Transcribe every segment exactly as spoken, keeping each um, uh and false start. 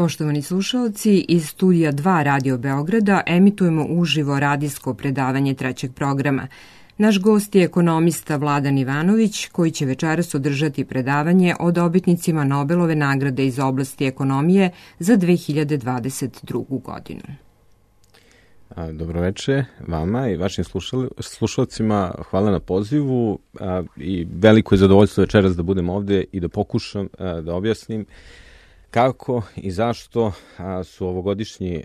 Poštovani slušalci, iz studija dva Radio Beograda emitujemo uživo radijsko predavanje trećeg programa. Naš gost je ekonomista Vladan Ivanović, koji će večeras održati predavanje o dobitnicima Nobelove nagrade iz oblasti ekonomije za dve hiljade dvadeset drugu. godinu. Dobroveče vama i vašim slušalcima. Hvala na pozivu i veliko je zadovoljstvo večeras da budem ovde i da pokušam da objasnim kako i zašto su ovogodišnji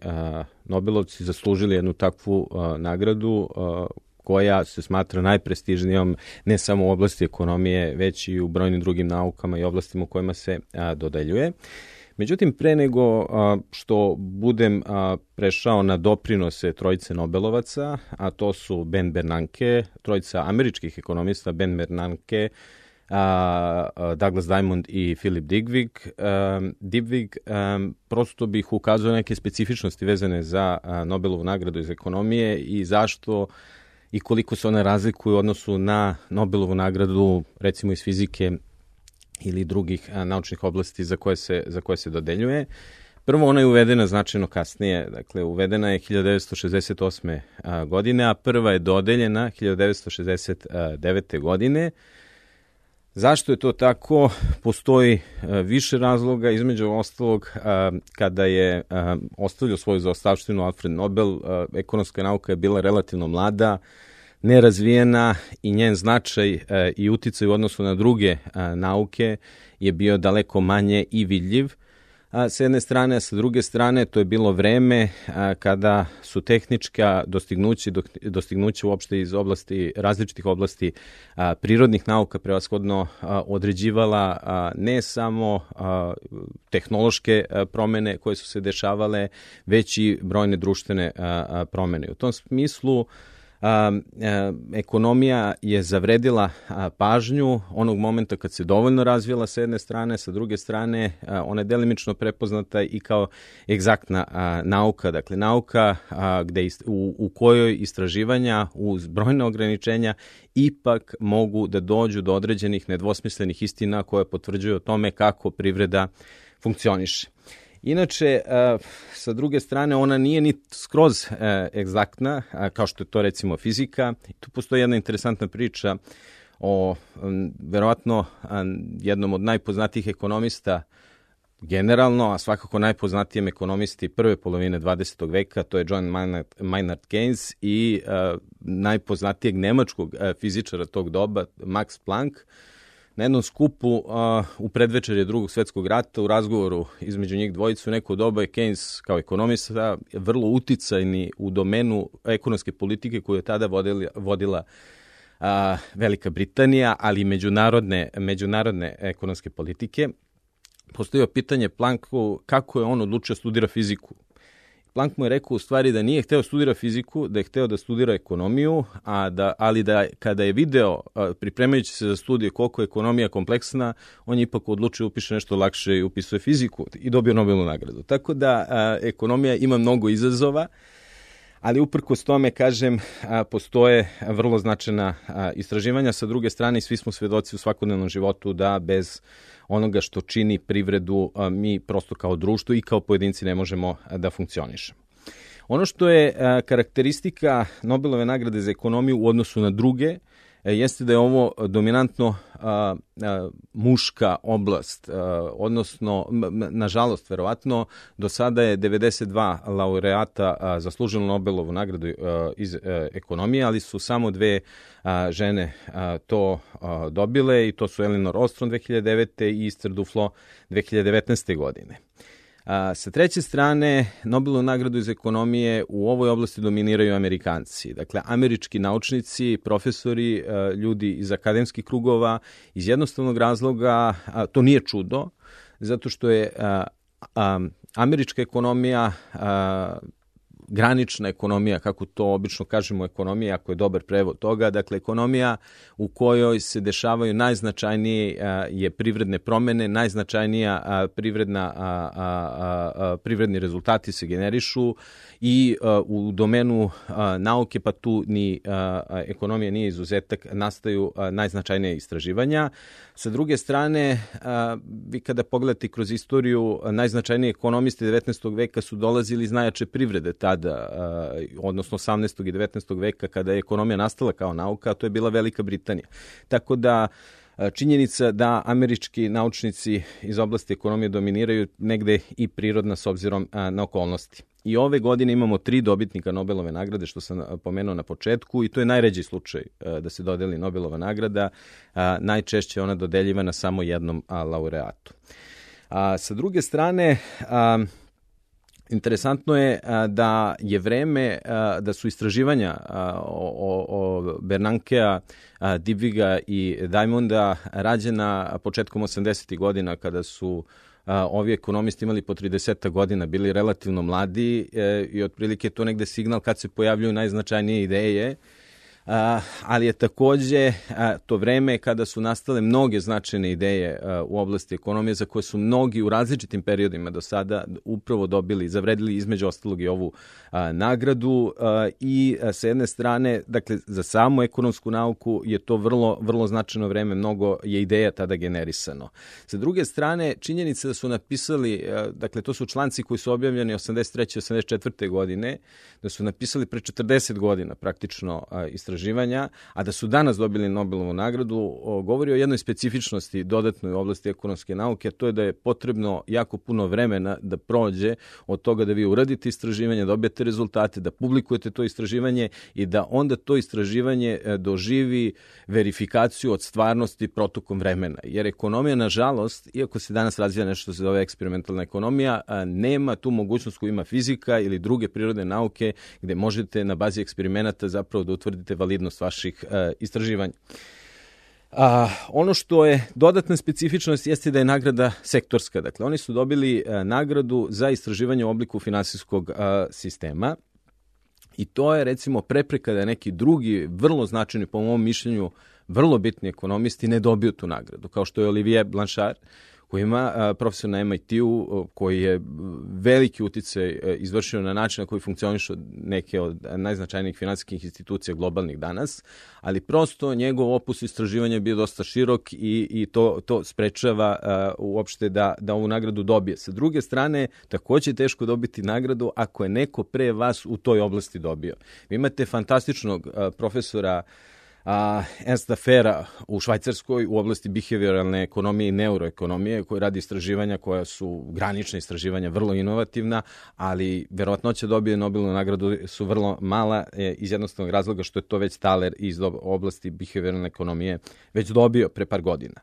Nobelovci zaslužili jednu takvu nagradu koja se smatra najprestižnijom ne samo u oblasti ekonomije, već i u brojnim drugim naukama i oblastima u kojima se dodeljuje. Međutim, pre nego što budem prešao na doprinose trojice Nobelovaca, a to su Ben Bernanke, trojica američkih ekonomista, Ben Bernanke, Douglas Diamond i Philip Dybvig, Dybvig, prosto bih ukazao neke specifičnosti vezane za Nobelovu nagradu iz ekonomije i zašto i koliko se one razlikuju u odnosu na Nobelovu nagradu, recimo iz fizike ili drugih a, naučnih oblasti za koje, se, za koje se dodeljuje. Prvo, ona je uvedena značajno kasnije, dakle uvedena je hiljadu devetsto šezdeset osme. A, godine, a prva je dodeljena hiljadu devetsto šezdeset devete. godine. Zašto je to tako? Postoji a, više razloga, između ostalog a, kada je a, ostavljao svoju zaostavštinu Alfred Nobel, a, ekonomska nauka je bila relativno mlada, nerazvijena i njen značaj e, i uticaj u odnosu na druge e, nauke je bio daleko manje i vidljiv. A, s jedne strane, a sa druge strane, to je bilo vreme a, kada su tehnička dostignuća, dostignuća uopšte iz oblasti, različitih oblasti a, prirodnih nauka prevashodno a, određivala a, ne samo a, tehnološke a, promene koje su se dešavale, već i brojne društvene a, a, promene. U tom smislu A, a, ekonomija je zavredila a, pažnju onog momenta kad se dovoljno razvijela sa jedne strane, sa druge strane a, ona je delimično prepoznata i kao egzaktna a, nauka, dakle nauka a, gde ist, u, u kojoj istraživanja uz brojne ograničenja ipak mogu da dođu do određenih nedvosmislenih istina koje potvrđuju o tome kako privreda funkcioniše. Inače, sa druge strane, ona nije ni skroz egzaktna, kao što je to recimo fizika. Tu postoji jedna interesantna priča o verovatno jednom od najpoznatijih ekonomista generalno, a svakako najpoznatijem ekonomisti prve polovine dvadesetog veka, to je John Maynard, Maynard Keynes i najpoznatijeg nemačkog fizičara tog doba, Max Planck. Na jednom skupu uh, u predvečerje drugog svetskog rata, u razgovoru između njih dvojicu, u neko doba je Keynes kao ekonomista vrlo uticajni u domenu ekonomske politike koju je tada vodila, vodila uh, Velika Britanija, ali i međunarodne, međunarodne ekonomske politike. Postavio pitanje Plancku kako je on odlučio studira fiziku. Planck mu je rekao u stvari da nije hteo studira fiziku, da je hteo da studira ekonomiju, a da, ali da kada je video, pripremajući se za studije koliko je ekonomija kompleksna, on je ipak odlučio upiše nešto lakše i upisuje fiziku i dobio Nobelovu nagradu. Tako da a, ekonomija ima mnogo izazova, ali uprkos tome, kažem, a, postoje vrlo značajna a, istraživanja. Sa druge strane, svi smo svedoci u svakodnevnom životu da bez onoga što čini privredu mi prosto kao društvo i kao pojedinci ne možemo da funkcionišemo. Ono što je karakteristika Nobelove nagrade za ekonomiju u odnosu na druge jeste da je ovo dominantno a, a, muška oblast, a, odnosno, nažalost, verovatno, do sada je devedeset dva laureata a, zaslužilo Nobelovu nagradu a, iz a, ekonomije, ali su samo dve a, žene a, to a, dobile i to su Elinor Ostrom dve hiljade devete. i Esther Duflo dve hiljade devetnaeste. godine. A, sa treće strane, Nobelovu nagradu iz ekonomije u ovoj oblasti dominiraju Amerikanci. Dakle, američki naučnici, profesori, a, ljudi iz akademskih krugova, iz jednostavnog razloga, a, to nije čudo, zato što je a, a, američka ekonomija a, granična ekonomija, kako to obično kažemo ekonomija, ako je dobar prevod toga, dakle ekonomija u kojoj se dešavaju najznačajnije a, je privredne promene, najznačajnija a, privredna, a, a, a, privredni rezultati se generišu i a, u domenu a, nauke, pa tu ni a, a, ekonomija nije izuzetak, nastaju a, najznačajnija istraživanja. Sa druge strane, a, vi kada pogledate kroz istoriju, najznačajniji ekonomisti devetnaestog veka su dolazili iz najjače privrede tada, a, odnosno osamnaestog i devetnaestog veka, kada je ekonomija nastala kao nauka, a to je bila Velika Britanija. Tako da činjenica da američki naučnici iz oblasti ekonomije dominiraju negde i prirodna s obzirom a, na okolnosti. I ove godine imamo tri dobitnika Nobelove nagrade, što sam pomenuo na početku, i to je najređi slučaj da se dodeli Nobelova nagrada. Najčešće je ona dodeljivana samo jednom laureatu. A, sa druge strane, a, interesantno je a, da je vreme, a, da su istraživanja a, o, o Bernankea, a, Dybviga i Diamonda rađena početkom osamdesetih godina, kada su a, ovi ekonomisti imali po trideset godina, bili relativno mladi e, i otprilike to negde signal kad se pojavljuju najznačajnije ideje. Uh, ali je takođe uh, to vreme kada su nastale mnoge značajne ideje uh, u oblasti ekonomije za koje su mnogi u različitim periodima do sada upravo dobili, zavredili između ostalog i ovu uh, nagradu uh, i uh, sa jedne strane, dakle za samu ekonomsku nauku je to vrlo, vrlo značajno vreme, mnogo je ideja tada generisano. Sa druge strane, činjenica da su napisali, uh, dakle to su članci koji su objavljeni osamdeset treće osamdeset četvrte godine, da su napisali pre četrdeset godina praktično uh, istraživanja, a da su danas dobili Nobelovu nagradu, o, govori o jednoj specifičnosti dodatnoj u oblasti ekonomske nauke, a to je da je potrebno jako puno vremena da prođe od toga da vi uradite istraživanje, dobijete rezultate, da publikujete to istraživanje i da onda to istraživanje doživi verifikaciju od stvarnosti protokom vremena. Jer ekonomija, nažalost, iako se danas razvija nešto što se zove eksperimentalna ekonomija, nema tu mogućnost koju ima fizika ili druge prirodne nauke, gde možete na bazi eksperimenata zapravo da utvrdite validnost vaših uh, istraživanja. A, ono što je dodatna specifičnost jeste da je nagrada sektorska. Dakle, oni su dobili uh, nagradu za istraživanje u obliku finansijskog uh, sistema i to je recimo prepreka da neki drugi, vrlo značajni, po mom mišljenju, vrlo bitni ekonomisti ne dobiju tu nagradu, kao što je Olivier Blanchard, koji ima a, profesor na M I T-u, koji je veliki uticaj izvršio na način na koji funkcionišu neke od najznačajnijih finansijskih institucija globalnih danas, ali prosto njegov opus istraživanja je bio dosta širok i, i to, to sprečava a, uopšte da, da ovu nagradu dobije. Sa druge strane, takođe je teško dobiti nagradu ako je neko pre vas u toj oblasti dobio. Vi imate fantastičnog a, profesora a, Ernsta Fera u Švajcarskoj u oblasti behavioralne ekonomije i neuroekonomije, koji radi istraživanja koja su granična istraživanja, vrlo inovativna, ali verovatnoća dobije Nobelovu nagradu su vrlo mala e, iz jednostavnog razloga što je to već Thaler iz oblasti behavioralne ekonomije već dobio pre par godina.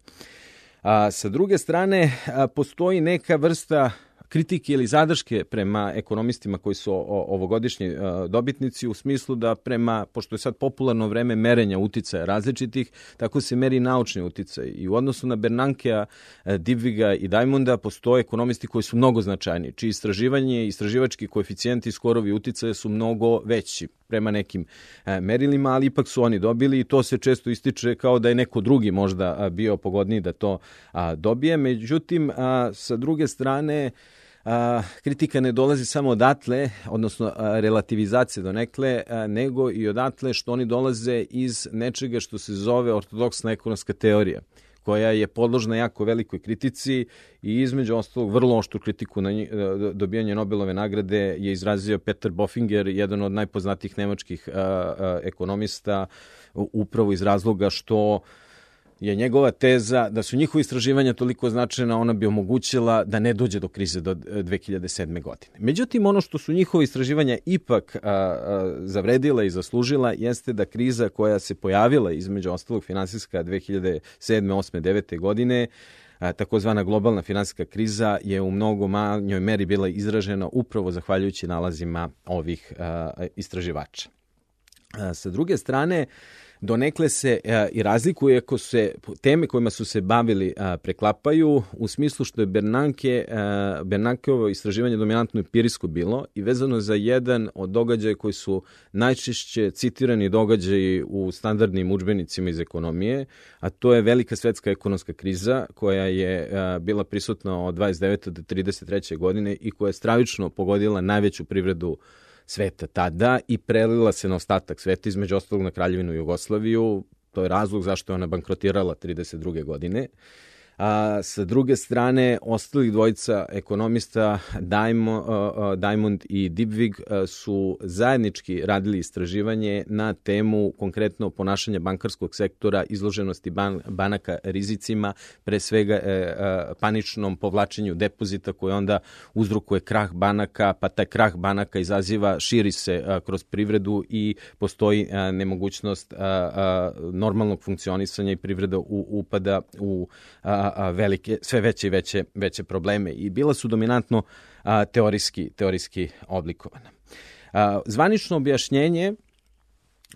A, sa druge strane, a, postoji neka vrsta kritike ili zadrške prema ekonomistima koji su ovogodišnji dobitnici u smislu da prema, pošto je sad popularno vreme merenja uticaja različitih, tako se meri naučni uticaj. I u odnosu na Bernankea, Dybviga i Diamonda postoje ekonomisti koji su mnogo značajni, čiji istraživanje i istraživački koeficijenti i skorovi uticaja su mnogo veći prema nekim merilima, ali ipak su oni dobili i to se često ističe kao da je neko drugi možda bio pogodniji da to dobije. Međutim, sa druge strane, A, kritika ne dolazi samo odatle, odnosno a, relativizacija donekle, a, nego i odatle što oni dolaze iz nečega što se zove ortodoksna ekonomska teorija, koja je podložna jako velikoj kritici i između ostalog vrlo oštru kritiku na dobijanje Nobelove nagrade je izrazio Peter Bofinger, jedan od najpoznatijih nemačkih a, a, ekonomista, upravo iz razloga što je njegova teza da su njihove istraživanja toliko značajna, ona bi omogućila da ne dođe do krize do dve hiljade sedme. godine. Međutim, ono što su njihove istraživanja ipak a, a, zavredila i zaslužila jeste da kriza koja se pojavila između ostalog finansijska dve hiljade sedme, osme, devete. godine, a, takozvana globalna finansijska kriza je u mnogo manjoj meri bila izražena upravo zahvaljujući nalazima ovih a, istraživača. A, sa druge strane, donekle se a, i razlikuje ako se teme kojima su se bavili a, preklapaju u smislu što je Bernanke, a, Bernankeovo istraživanje dominantno empirijsko bilo i vezano za jedan od događaja koji su najčešće citirani događaji u standardnim udžbenicima iz ekonomije, a to je velika svetska ekonomska kriza koja je a, bila prisutna od dvadeset devete do trideset treće godine i koja je stravično pogodila najveću privredu sveta tada i prelila se na ostatak sveta, između ostalog na Kraljevinu Jugoslaviju. To je razlog zašto je ona bankrotirala trideset druge godine. A sa druge strane, ostalih dvojica ekonomista, Diamond, uh, Diamond i Dybvig, uh, su zajednički radili istraživanje na temu konkretno ponašanja bankarskog sektora, izloženosti ban, banaka rizicima, pre svega uh, uh, paničnom povlačenju depozita koji onda uzrokuje krah banaka, pa taj krah banaka izaziva, širi se uh, kroz privredu i postoji uh, nemogućnost uh, uh, normalnog funkcionisanja i privreda u, upada u uh, A, velike, sve veće i veće, veće probleme i bila su dominantno a, teorijski, teorijski oblikovana. A, zvanično objašnjenje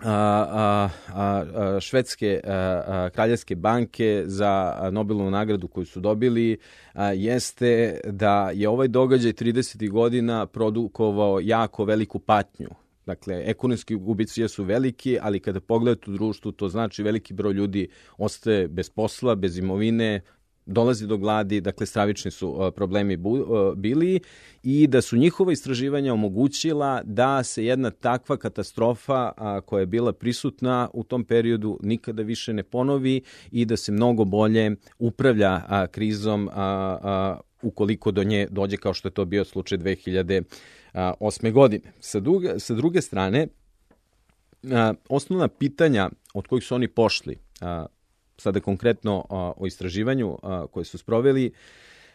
a, a, a, švedske a, a, kraljevske banke za Nobelovu nagradu koju su dobili a, jeste da je ovaj događaj tridesetih godina produkovao jako veliku patnju. Dakle, ekonomski gubici su veliki, ali kada pogledate u društvu, to znači veliki broj ljudi ostaje bez posla, bez imovine, dolazi do gladi, dakle stravični su uh, problemi bu, uh, bili i da su njihova istraživanja omogućila da se jedna takva katastrofa uh, koja je bila prisutna u tom periodu nikada više ne ponovi i da se mnogo bolje upravlja uh, krizom uh, uh, ukoliko do nje dođe kao što je to bio slučaj dve hiljade osme godine. Sa druge, sa druge strane, uh, osnovna pitanja od kojih su oni pošli, uh, sada konkretno a, o istraživanju a, koje su sproveli,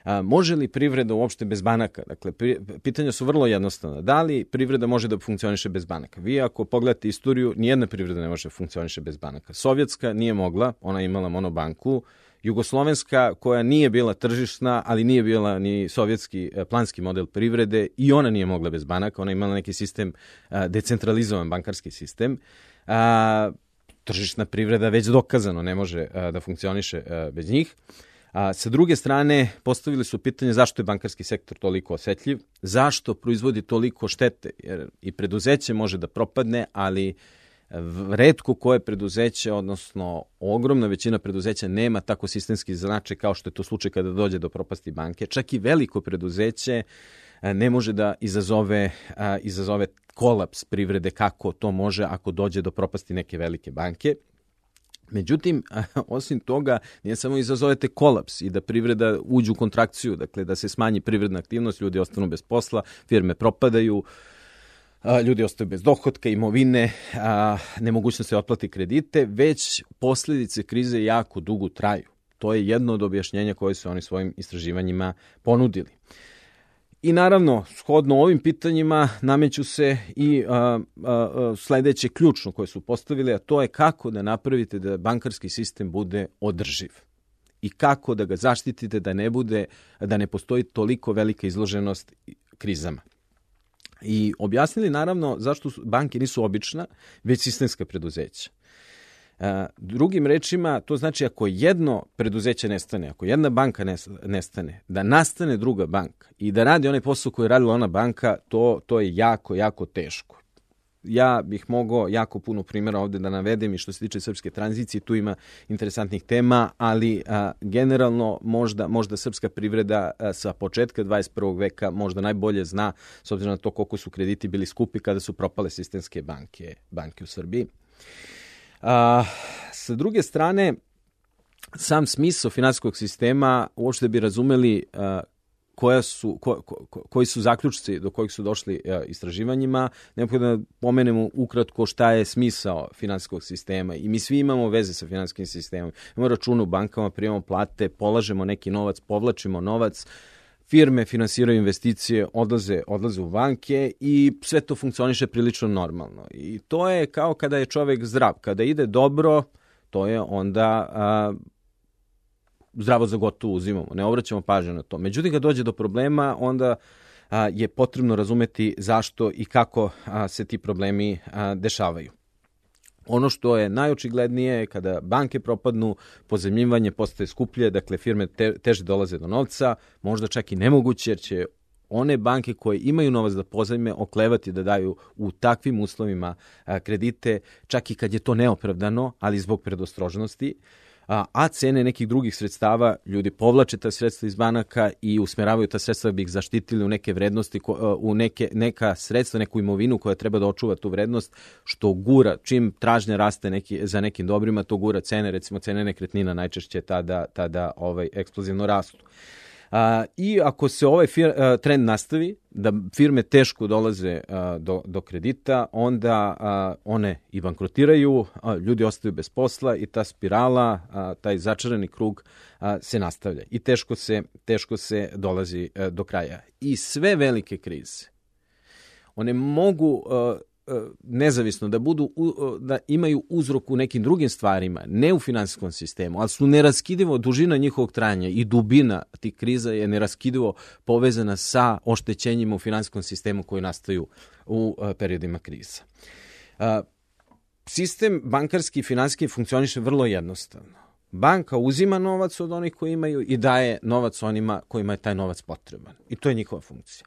a, može li privreda uopšte bez banaka? Dakle, pri, pitanja su vrlo jednostavna. Da li privreda može da funkcioniše bez banaka? Vi ako pogledate istoriju, nijedna privreda ne može da funkcioniše bez banaka. Sovjetska nije mogla, ona je imala monobanku. Jugoslovenska, koja nije bila tržišna, ali nije bila ni sovjetski planski model privrede, i ona nije mogla bez banaka. Ona je imala neki sistem, a, decentralizovan bankarski sistem. A, Tržišna privreda već dokazano ne može a, da funkcioniše a, bez njih. A, sa druge strane, postavili su pitanje zašto je bankarski sektor toliko osetljiv, zašto proizvodi toliko štete, jer i preduzeće može da propadne, ali retko koje preduzeće, odnosno ogromna većina preduzeća nema tako sistemski značaj kao što je to slučaj kada dođe do propasti banke. Čak i veliko preduzeće a, ne može da izazove, a, izazove kolaps privrede kako to može ako dođe do propasti neke velike banke. Međutim, osim toga, nije samo izazovete kolaps i da privreda uđe u kontrakciju, dakle da se smanji privredna aktivnost, ljudi ostanu bez posla, firme propadaju, ljudi ostaju bez dohotka, imovine, nemogućnost se otplati kredite, već posljedice krize jako dugo traju. To je jedno od objašnjenja koje su oni svojim istraživanjima ponudili. I naravno, shodno ovim pitanjima nameću se i a, a, sledeće ključno koje su postavili, a to je kako da napravite da bankarski sistem bude održiv i kako da ga zaštitite da ne bude, da ne postoji toliko velika izloženost krizama. I objasnili naravno zašto banke nisu obična, već sistemska preduzeća. Drugim rečima, to znači ako jedno preduzeće nestane, ako jedna banka nestane, da nastane druga banka i da radi onaj posao koji je radila ona banka, to, to je jako, jako teško. Ja bih mogao jako puno primjera ovde da navedem i što se tiče srpske tranzicije, tu ima interesantnih tema, ali a, generalno možda, možda srpska privreda a, sa početka dvadeset prvog veka možda najbolje zna, s obzirom na to koliko su krediti bili skupi kada su propale sistemske banke, banke u Srbiji. A, sa druge strane, sam smisao finansijskog sistema uopšte bi razumeli a, koja su, ko, ko, koji su zaključci do kojih su došli a, istraživanjima. Neophodno da pomenemo ukratko šta je smisao finansijskog sistema. I mi svi imamo veze sa finansijskim sistemom. Imamo račune u bankama, primamo plate, polažemo neki novac, povlačimo novac, firme finansiraju investicije, odlaze, odlaze u banke i sve to funkcioniše prilično normalno. I to je kao kada je čovek zdrav. Kada ide dobro, to je onda a, zdravo za gotovo uzimamo, ne obraćamo pažnju na to. Međutim, kad dođe do problema, onda a, je potrebno razumeti zašto i kako a, se ti problemi a, dešavaju. Ono što je najočiglednije, kada banke propadnu, pozajmljivanje postaje skuplje, dakle firme te, teže dolaze do novca, možda čak i nemoguće, jer će one banke koje imaju novac da pozajme oklevati da daju u takvim uslovima a, kredite, čak i kad je to neopravdano, ali zbog predostrožnosti, a, a cene nekih drugih sredstava, ljudi povlače ta sredstva iz banaka i usmeravaju ta sredstva da bi ih zaštitili u neke vrednosti, u neke, neka sredstva, neku imovinu koja treba da očuva tu vrednost, što gura, čim tražnja raste neki, za nekim dobrima, to gura cene, recimo cene nekretnina najčešće tada, tada ovaj, eksplozivno rastu. A, I ako se ovaj fir, a, trend nastavi, da firme teško dolaze a, do, do kredita, onda a, one i bankrotiraju, a, ljudi ostaju bez posla i ta spirala, a, taj začarani krug a, se nastavlja i teško se, teško se dolazi a, do kraja. I sve velike krize, one mogu a, nezavisno da budu da imaju uzrok u nekim drugim stvarima, ne u finansijskom sistemu, ali su neraskidivo, dužina njihovog trajanja i dubina tih kriza je neraskidivo povezana sa oštećenjima u finansijskom sistemu koji nastaju u periodima kriza. Sistem bankarski i finansijski funkcioniše vrlo jednostavno. Banka uzima novac od onih koji imaju i daje novac onima kojima je taj novac potreban. I to je njihova funkcija.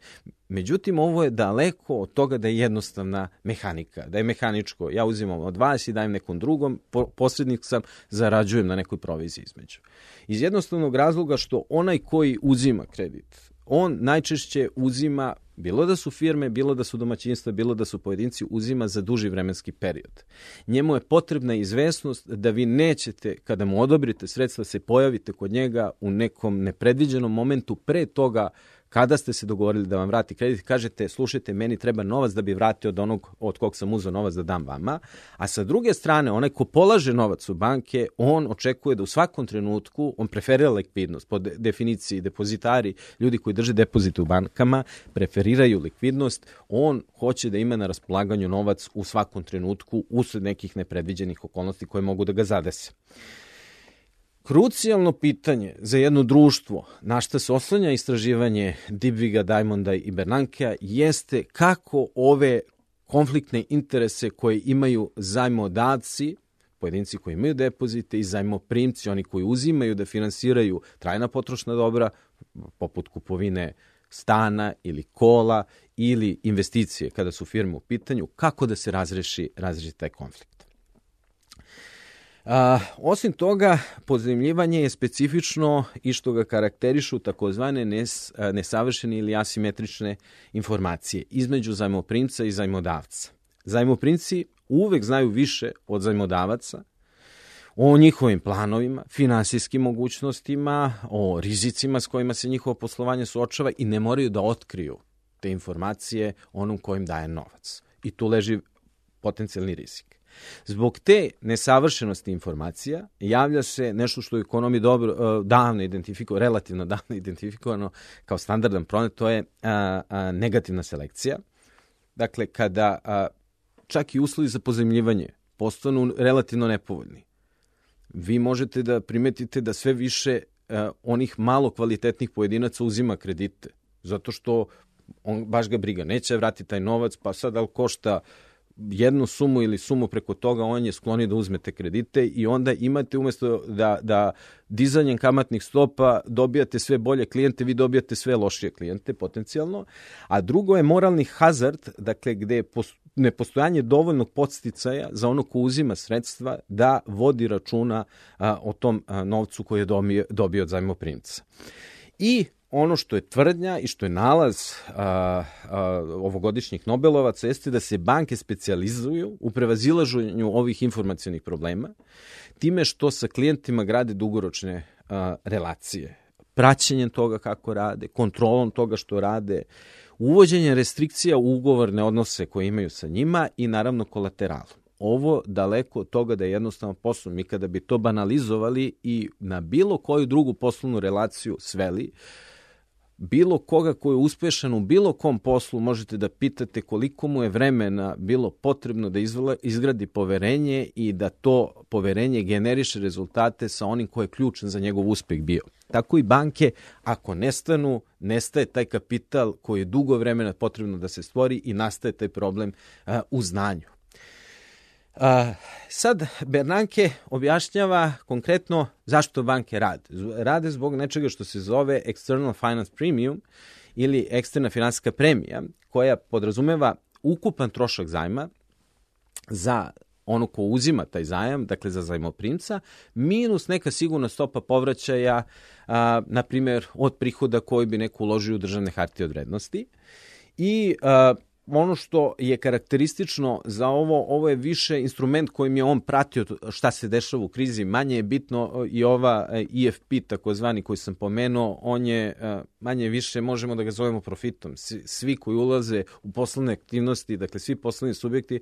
Međutim, ovo je daleko od toga da je jednostavna mehanika, da je mehaničko. Ja uzimam od vas i dajem nekom drugom, posrednik sam, zarađujem na nekoj proviziji između. Iz jednostavnog razloga što onaj koji uzima kredit, on najčešće uzima, bilo da su firme, bilo da su domaćinstva, bilo da su pojedinci, uzima za duži vremenski period. Njemu je potrebna izvesnost da vi nećete, kada mu odobrite sredstva, se pojavite kod njega u nekom nepredviđenom momentu pre toga kada ste se dogovorili da vam vrati kredit, kažete, slušajte, meni treba novac da bi vratio od onog od kog sam uzeo novac da dam vama, a sa druge strane, onaj ko polaže novac u banke, on očekuje da u svakom trenutku, on preferira likvidnost, po definiciji depozitari, ljudi koji drže depozite u bankama, preferiraju likvidnost, on hoće da ima na raspolaganju novac u svakom trenutku usled nekih nepredviđenih okolnosti koje mogu da ga zadese. Krucijalno pitanje za jedno društvo, na šta se oslanja istraživanje Dybviga, Diamonda i Bernankea, jeste kako ove konfliktne interese koje imaju zajmodavci, pojedinci koji imaju depozite, i zajmoprimci, oni koji uzimaju da finansiraju trajna potrošna dobra, poput kupovine stana ili kola ili investicije kada su firme u pitanju, kako da se razreši, razreši taj konflikt. A, osim toga, pozajmljivanje je specifično i što ga karakterišu takozvane nes, nesavršene ili asimetrične informacije između zajmoprimca i zajmodavca. Zajmoprimci uvek znaju više od zajmodavaca o njihovim planovima, finansijskim mogućnostima, o rizicima s kojima se njihovo poslovanje suočava i ne moraju da otkriju te informacije onom kojim daje novac. I tu leži potencijalni rizik. Zbog te nesavršenosti informacija javlja se nešto što je u ekonomiji dobro, davno identifikovano, relativno davno identifikovano kao standardan promet, to je a, a, negativna selekcija. Dakle, kada a, čak i uslovi za pozajmljivanje postanu relativno nepovoljni, vi možete da primetite da sve više a, onih malo kvalitetnih pojedinaca uzima kredite, zato što on baš ga briga, neće vratiti taj novac, pa sad ali košta jednu sumu ili sumu preko toga, on je skloni da uzmete kredite i onda imate umjesto da, da dizanjem kamatnih stopa dobijate sve bolje klijente, vi dobijate sve lošije klijente potencijalno. A drugo je moralni hazard, dakle gde je nepostojanje dovoljnog podsticaja za ono ko uzima sredstva da vodi računa a, o tom a, novcu koji je dobio, dobio od zajmoprimca. I ono što je tvrdnja i što je nalaz a, a, ovogodišnjih Nobelovaca jeste da se banke specijalizuju u prevazilaženju ovih informacionih problema time što sa klijentima grade dugoročne a, relacije. Praćenjem toga kako rade, kontrolom toga što rade, uvođenjem restrikcija u ugovorne odnose koje imaju sa njima i naravno kolateralom. Ovo daleko od toga da je jednostavno posao. Mi kada bi to banalizovali i na bilo koju drugu poslovnu relaciju sveli, bilo koga ko je uspešan u bilo kom poslu možete da pitate koliko mu je vremena bilo potrebno da izgradi poverenje i da to poverenje generiše rezultate sa onim ko je ključan za njegov uspeh bio. Tako i banke, ako nestanu, nestaje taj kapital koji je dugo vremena potrebno da se stvori i nastaje taj problem uh, u znanju. A, sad Bernanke objašnjava konkretno zašto banke rade. Rade zbog nečega što se zove external finance premium ili eksterna finansijska premija, koja podrazumeva ukupan trošak zajma za ono ko uzima taj zajam, dakle za zajmoprimca, minus neka sigurna stopa povraćaja, a, na primjer, od prihoda koji bi neko uložio u državne hartije od vrednosti. I a, ono što je karakteristično za ovo, ovo je više instrument kojim je on pratio šta se dešava u krizi. Manje je bitno i ova E F P, takozvani, koji sam pomenuo, on je manje više, možemo da ga zovemo profitom. Svi koji ulaze u poslovne aktivnosti, dakle svi poslovni subjekti,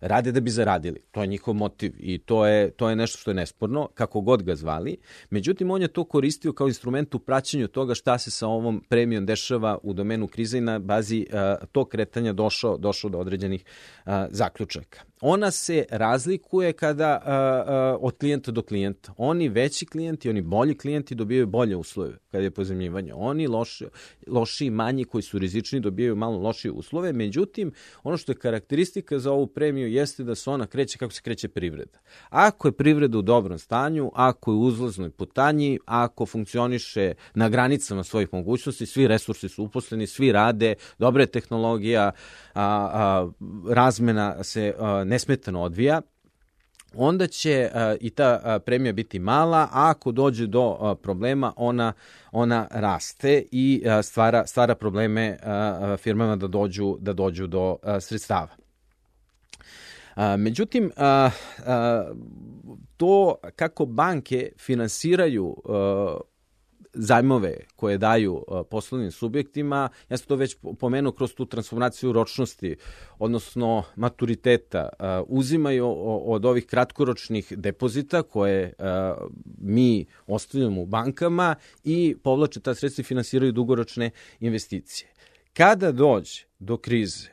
rade da bi zaradili. To je njihov motiv i to je, to je nešto što je nesporno, kako god ga zvali. Međutim, on je to koristio kao instrument u praćenju toga šta se sa ovom premijom dešava u domenu krize i na bazi uh, tog kretanja došao, došao do određenih uh, zaključaka. Ona se razlikuje kada uh, uh, od klijenta do klijenta. Oni veći klijenti, oni bolji klijenti dobijaju bolje uslove kada je pozajmljivanje. Oni loši, loši i manji koji su rizični dobijaju malo lošije uslove. Međutim, ono što je karakteristika za ovu premiju jeste da se ona kreće kako se kreće privreda. Ako je privreda u dobrom stanju, ako je u uzlaznoj putanji, ako funkcioniše na granicama svojih mogućnosti, svi resursi su uposleni, svi rade, dobra je tehnologija, a, a, razmena se a, nesmetano odvija, onda će a, i ta a, premija biti mala, a ako dođe do a, problema, ona, ona raste i a, stvara, stvara probleme a, a, firmama da dođu, da dođu do a, sredstava. A, međutim, a, a, to kako banke finansiraju a, zajmove koje daju a, poslovnim subjektima, ja sam to već pomenuo kroz tu transformaciju ročnosti, odnosno maturiteta, a, uzimaju o, od ovih kratkoročnih depozita koje a, mi ostavljamo u bankama i povlače ta sredstva i finansiraju dugoročne investicije. Kada dođe do krize,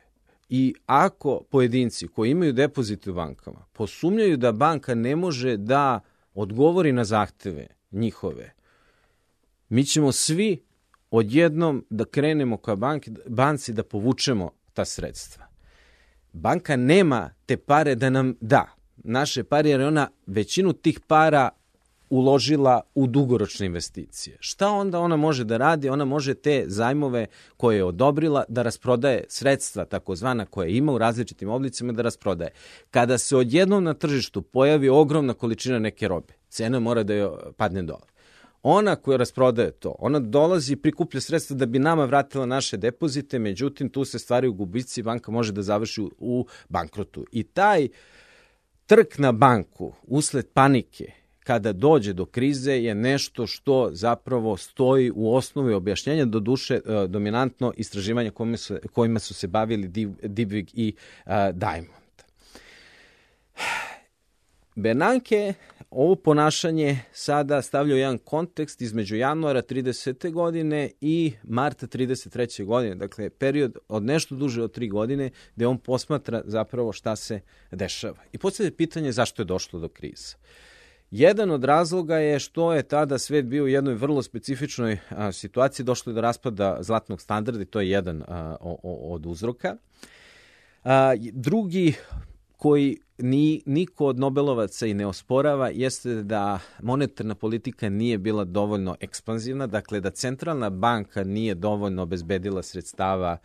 i ako pojedinci koji imaju depozite u bankama posumnjaju da banka ne može da odgovori na zahteve njihove, mi ćemo svi odjednom da krenemo ka banki, banci da povučemo ta sredstva. Banka nema te pare da nam da naše pare, jer je ona većinu tih para uložila u dugoročne investicije. Šta onda ona može da radi? Ona može te zajmove koje je odobrila da rasprodaje, sredstva takozvana koje ima u različitim oblicima da rasprodaje. Kada se odjednom na tržištu pojavi ogromna količina neke robe, cena mora da joj padne dole. Ona koja rasprodaje to, ona dolazi i prikuplja sredstva da bi nama vratila naše depozite, međutim tu se stvaraju gubici i banka može da završi u bankrotu. I taj trk na banku usled panike kada dođe do krize je nešto što zapravo stoji u osnovi objašnjenja, do duše dominantno istraživanja kojima su, kojima su se bavili Dybvig i uh, Diamond. Bernanke ovo ponašanje sada stavlja u jedan kontekst između januara tridesete godine i marta trideset treće godine, dakle period od nešto duže od tri godine gde on posmatra zapravo šta se dešava. I postavlja pitanje zašto je došlo do krize. Jedan od razloga je što je tada svet bio u jednoj vrlo specifičnoj a, situaciji, došlo je do raspada zlatnog standarda i to je jedan a, o, o, od uzroka. A, drugi koji ni, niko od Nobelovaca i ne osporava jeste da monetarna politika nije bila dovoljno ekspanzivna, dakle da centralna banka nije dovoljno obezbedila sredstava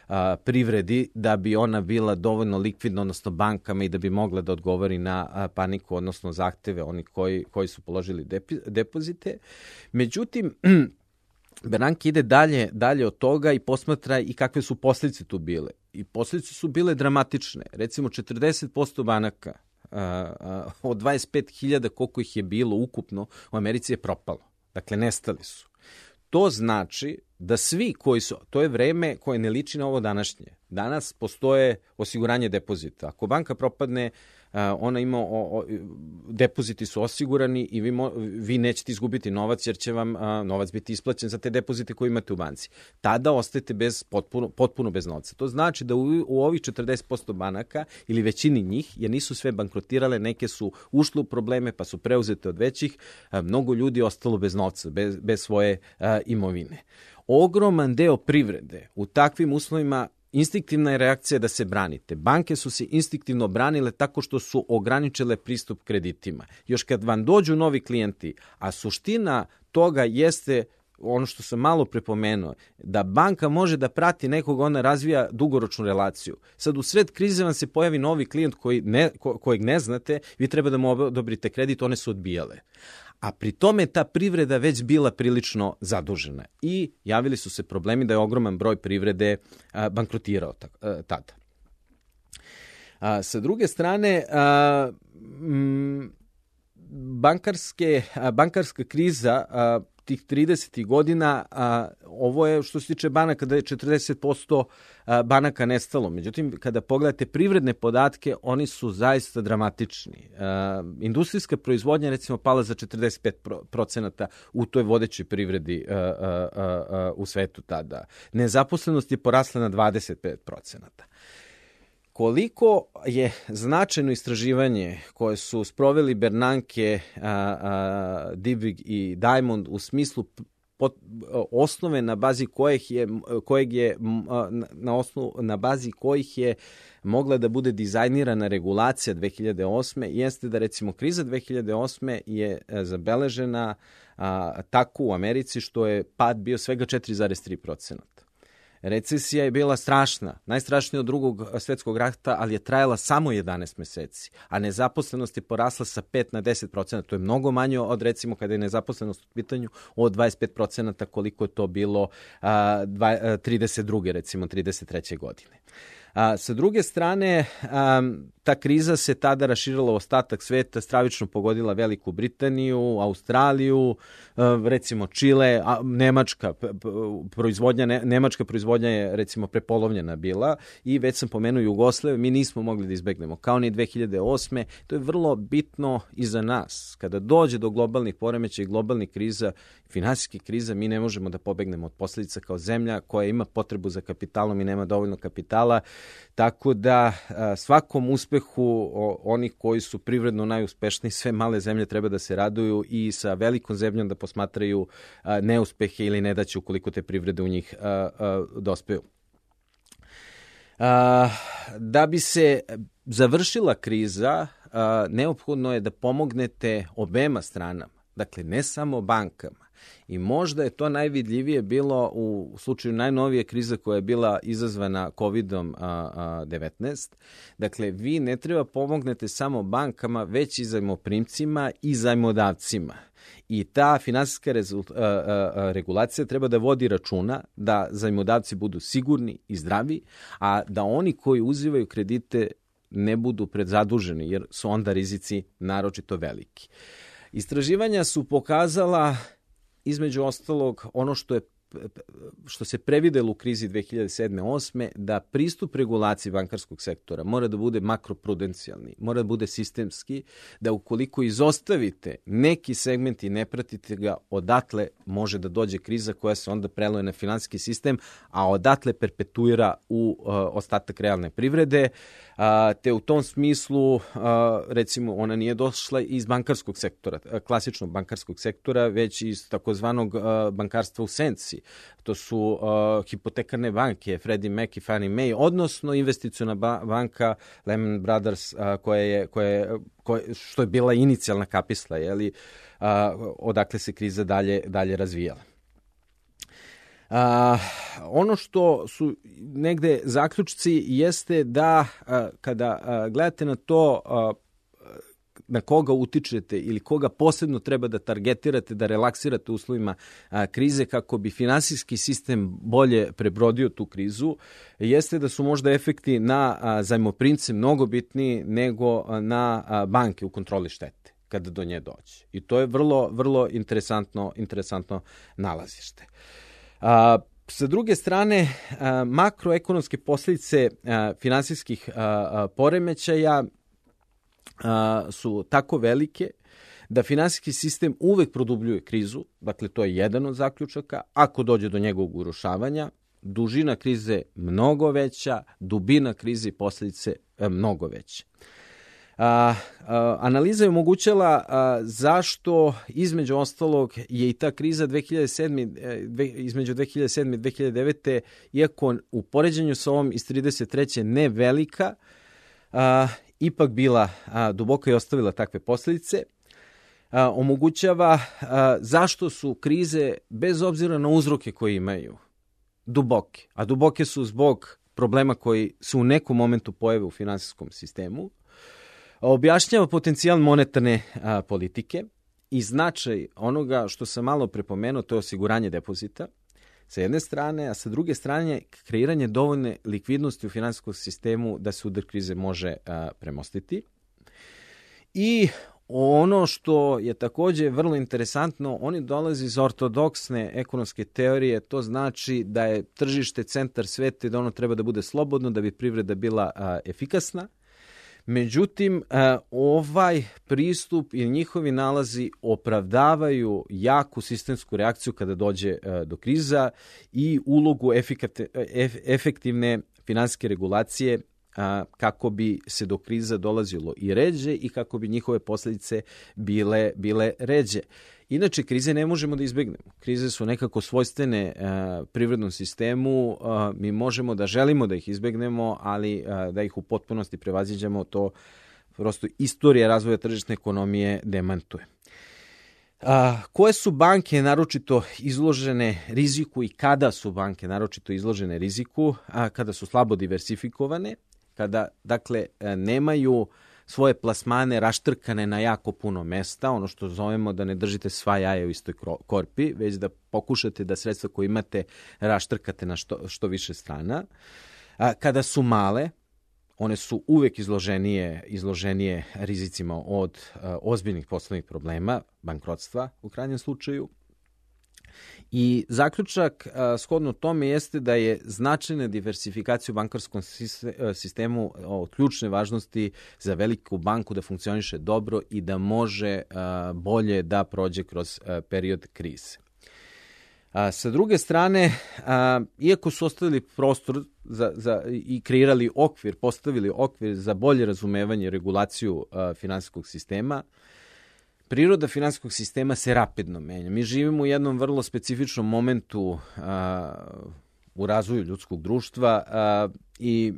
a, privredi da bi ona bila dovoljno likvidna, odnosno bankama, i da bi mogla da odgovori na a, paniku, odnosno zahteve oni koji, koji su položili depi, depozite. Međutim, Bernanke ide dalje, dalje od toga i posmatra i kakve su posljedice tu bile. I posljedice su bile dramatične. Recimo četrdeset posto banaka a, a, od dvadeset pet hiljada koliko ih je bilo ukupno u Americi je propalo. Dakle, nestali su. To znači da svi koji su, to je vreme koje ne liči na ovo današnje. Danas postoje osiguranje depozita. Ako banka propadne, ona ima, o, o, depoziti su osigurani i vi, mo, vi nećete izgubiti novac jer će vam a, novac biti isplaćen za te depozite koje imate u banci. Tada ostajete bez, potpuno, potpuno bez novca. To znači da u, u ovih četrdeset posto banaka ili većini njih, jer nisu sve bankrotirale, neke su ušle u probleme pa su preuzete od većih, a, mnogo ljudi je ostalo bez novca, bez, bez svoje a, imovine. Ogroman deo privrede u takvim uslovima instinktivna je reakcija da se branite. Banke su se instinktivno branile tako što su ograničile pristup kreditima. Još kad vam dođu novi klijenti, a suština toga jeste ono što sam malo prepomenuo, da banka može da prati nekog, ona razvija dugoročnu relaciju. Sad u sred krize vam se pojavi novi klijent koji ne, ko, kojeg ne znate, vi treba da mu odobrite kredit, one su odbijale. A pri tome ta privreda već bila prilično zadužena i javili su se problemi da je ogroman broj privrede a, bankrotirao ta, a, tada. A, sa druge strane, a, m, bankarske, a, bankarska kriza a, tih tridesetih godina, a, ovo je što se tiče banaka da je četrdeset posto a, banaka nestalo. Međutim, kada pogledate privredne podatke, oni su zaista dramatični. A, industrijska proizvodnja recimo pala za četrdeset pet procenata u toj vodećoj privredi a, a, a, a, u svetu tada. Nezaposlenost je porasla na dvadeset pet procenata. Koliko je značajno istraživanje koje su sproveli Bernanke, a, a, Dybvig i Diamond u smislu pot, osnove na bazi kojih je, kojeg je na, osnovu, na bazi kojih je mogla da bude dizajnirana regulacija dve hiljade osme jeste da recimo kriza dve hiljade osme je zabeležena a, tako u Americi što je pad bio svega četiri zarez tri procenata. Recesija je bila strašna, najstrašnija od drugog svetskog rata, ali je trajala samo jedanaest meseci, a nezaposlenost je porasla sa pet na deset procenata. To je mnogo manje od, recimo, kada je nezaposlenost u pitanju, od dvadeset pet procenata koliko je to bilo a, dva, trideset druge recimo, trideset treće godine. A, sa druge strane, a, ta kriza se tada raširila u ostatak sveta, stravično pogodila Veliku Britaniju, Australiju, a, recimo Čile, a, Nemačka proizvodnja, ne, Nemačka proizvodnja je recimo prepolovljena bila i već sam pomenuo Jugoslaviju, mi nismo mogli da izbegnemo, kao ni dve hiljade osme. To je vrlo bitno i za nas. Kada dođe do globalnih poremećaja i globalnih kriza, finansijskih kriza, mi ne možemo da pobegnemo od posljedica kao zemlja koja ima potrebu za kapitalom i nema dovoljno kapitala. Tako da a, svakom uspehu o, onih koji su privredno najuspešniji, sve male zemlje treba da se raduju i sa velikom zemljom da posmatraju a, neuspehe ili nedaće ukoliko te privrede u njih a, a, dospeju. A, da bi se završila kriza, a, neophodno je da pomognete obema stranama, dakle ne samo bankama. I možda je to najvidljivije bilo u slučaju najnovije krize koja je bila izazvana kovidom devetnaest. Dakle, vi ne treba pomognete samo bankama, već i zajmoprimcima i zajmodavcima. I ta finansijska rezult, a, a, regulacija treba da vodi računa da zajmodavci budu sigurni i zdravi, a da oni koji uzivaju kredite ne budu predzaduženi, jer su onda rizici naročito veliki. Istraživanja su pokazala između ostalog ono što je što se previdelo u krizi dve hiljade sedme osme, da pristup regulaciji bankarskog sektora mora da bude makroprudencijalni, mora da bude sistemski, da ukoliko izostavite neki segment i ne pratite ga, odatle može da dođe kriza koja se onda preloje na finansijski sistem, a odatle perpetuira u uh, ostatak realne privrede, uh, te u tom smislu, uh, recimo, ona nije došla iz bankarskog sektora, klasičnog bankarskog sektora, već iz takozvanog uh, bankarstva u senci. To su uh, hipotekarne banke, Freddie Mac i Fannie Mae, odnosno investiciona ba- banka Lehman Brothers, uh, koja je, koja je, koja, što je bila inicijalna kapisla, jeli, uh, odakle se kriza dalje, dalje razvijala. Uh, ono što su negde zaključci jeste da uh, kada uh, gledate na to uh, na koga utičete ili koga posebno treba da targetirate, da relaksirate u uslovima a, krize kako bi finansijski sistem bolje prebrodio tu krizu, jeste da su možda efekti na a, zajmoprimce mnogo bitniji nego a, na a, banke u kontroli štete kada do nje dođe. I to je vrlo, vrlo interesantno, interesantno nalazište. A, Sa druge strane, a, makroekonomske posljedice a, finansijskih a, a, poremećaja a, su tako velike da finansijski sistem uvek produbljuje krizu, dakle to je jedan od zaključaka, ako dođe do njegovog urušavanja, dužina krize mnogo veća, dubina krize i posljedice mnogo veće. A, a, analiza je omogućala a, zašto između ostalog je i ta kriza dve hiljade sedme, dve, između dve hiljade sedme i dve hiljade devete, iako u poređenju sa ovom iz trideset treće ne velika, a, ipak bila a, duboka i ostavila takve posljedice. A, omogućava a, zašto su krize, bez obzira na uzroke koje imaju, duboke. A duboke su zbog problema koji se u nekom momentu pojave u finansijskom sistemu. Objašnjava potencijal monetarne a, politike i značaj onoga što sam malo prepomenuo, to je osiguranje depozita sa jedne strane, a sa druge strane kreiranje dovoljne likvidnosti u finansijskom sistemu da se udar krize može a, premostiti. I ono što je također vrlo interesantno, oni dolaze iz ortodoksne ekonomske teorije, to znači da je tržište centar sveta i da ono treba da bude slobodno, da bi privreda bila a, efikasna. Međutim, ovaj pristup i njihovi nalazi opravdavaju jaku sistemsku reakciju kada dođe do kriza i ulogu efektivne finansijske regulacije kako bi se do kriza dolazilo i ređe i kako bi njihove posljedice bile, bile ređe. Inače, krize ne možemo da izbegnemo. Krize su nekako svojstvene uh, privrednom sistemu. Uh, mi možemo da želimo da ih izbegnemo, ali uh, da ih u potpunosti prevaziđemo, to prosto istorija razvoja tržišne ekonomije demantuje. Uh, koje su banke naročito izložene riziku i kada su banke naročito izložene riziku? Uh, kada su slabo diversifikovane, kada dakle nemaju svoje plasmane raštrkane na jako puno mesta, ono što zovemo da ne držite sva jaja u istoj korpi, već da pokušate da sredstva koje imate raštrkate na što, što više strana. A, kada su male, one su uvek izloženije, izloženije rizicima od a, ozbiljnih poslovnih problema, bankrotstva u krajnjem slučaju. I zaključak a, shodno tome jeste da je značajna diversifikacija u bankarskom sistemu od ključne važnosti za veliku banku da funkcioniše dobro i da može a, bolje da prođe kroz a, period krize. A, sa druge strane, a, iako su ostavili prostor za, za, i kreirali okvir, postavili okvir za bolje razumevanje i regulaciju a, finansijskog sistema, priroda finansijskog sistema se rapidno menja. Mi živimo u jednom vrlo specifičnom momentu a, u razvoju ljudskog društva a, i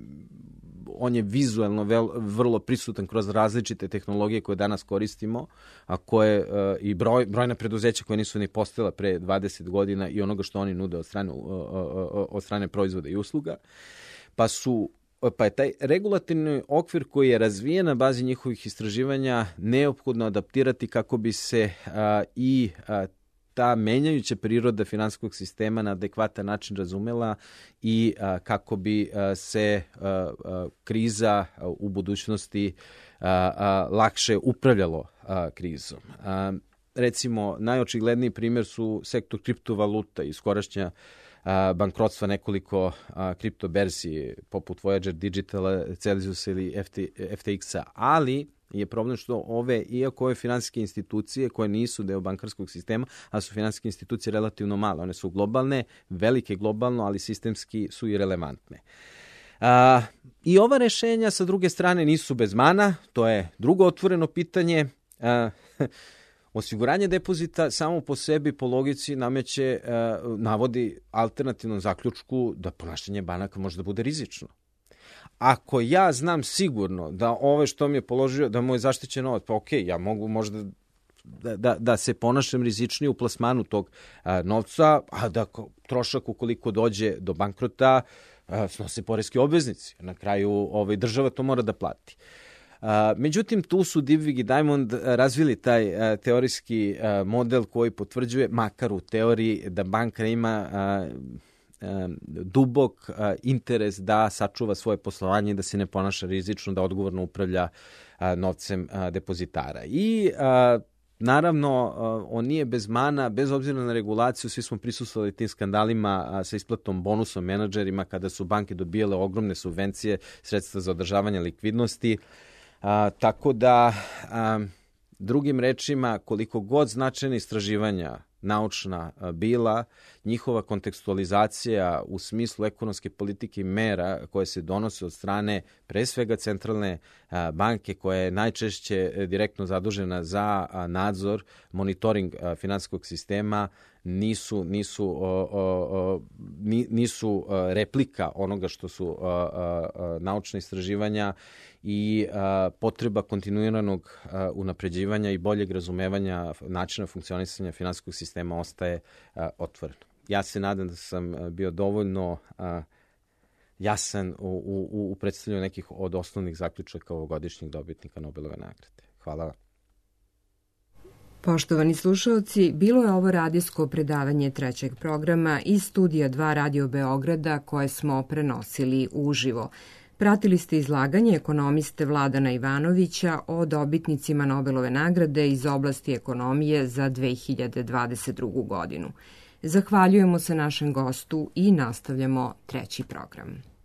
on je vizuelno vel, vrlo prisutan kroz različite tehnologije koje danas koristimo, a koje a, i broj, brojna preduzeća koje nisu ni postojala pre dvadeset godina i onoga što oni nude od strane, od strane proizvoda i usluga, pa su Pa je taj regulativni okvir koji je razvijen na bazi njihovih istraživanja neophodno adaptirati kako bi se a, i a, ta menjajuća priroda finansijskog sistema na adekvatan način razumela i a, kako bi a, se a, a, kriza a, u budućnosti a, a, lakše upravljalo a, krizom. A, recimo, najočigledniji primjer su sektor kriptovaluta i skorašnja bankrotstva nekoliko a, kripto berzi poput Voyager Digitala, Celsius ili F T X-a, ali je problem što ove, iako ove finansijske institucije koje nisu deo bankarskog sistema, a su finansijske institucije relativno male, one su globalne, velike globalno, ali sistemski su i relevantne. A, I ova rešenja sa druge strane nisu bez mana, to je drugo otvoreno pitanje. A, Osiguranje depozita samo po sebi, po logici, nameće, navodi alternativnom zaključku da ponašanje banaka može da bude rizično. Ako ja znam sigurno da ove što mi je položio, da mu je zaštićen novac, pa okej, okay, ja mogu možda da, da, da se ponašam rizičnije u plasmanu tog a, novca, a da trošak ukoliko dođe do bankrota a, snose poreski obveznici. Na kraju ovaj, država to mora da plati. Uh, međutim, tu su Dybvig i Diamond razvili taj uh, teorijski uh, model koji potvrđuje, makar u teoriji, da banka ima uh, uh, dubok uh, interes da sačuva svoje poslovanje i da se ne ponaša rizično, da odgovorno upravlja uh, novcem uh, depozitara. I uh, naravno, uh, on nije bez mana, bez obzira na regulaciju, svi smo prisustvovali tim skandalima uh, sa isplatom bonusom menadžerima kada su banke dobijale ogromne subvencije, sredstva za održavanje likvidnosti. A, tako da, a, drugim rečima, koliko god značajne istraživanja naučna bila, njihova kontekstualizacija u smislu ekonomske politike i mera koje se donose od strane pre svega centralne banke koja je najčešće direktno zadužena za nadzor, monitoring finansijskog sistema, nisu nisu o, o, o, nisu replika onoga što su a, a, a, naučna istraživanja i a, potreba kontinuiranog a, unapređivanja i boljeg razumevanja načina funkcionisanja finansijskog sistema ostaje a, otvoreno. Ja se nadam da sam bio dovoljno a, jasan u, u, u predstavljanju nekih od osnovnih zaključaka ovogodišnjeg dobitnika Nobelove nagrade. Hvala vam. Poštovani slušalci, bilo je ovo radijsko predavanje trećeg programa iz studija dva Radio Beograda koje smo prenosili uživo. Pratili ste izlaganje ekonomiste Vladana Ivanovića o dobitnicima Nobelove nagrade iz oblasti ekonomije za dve hiljade dvadeset drugu. godinu. Zahvaljujemo se našem gostu i nastavljamo treći program.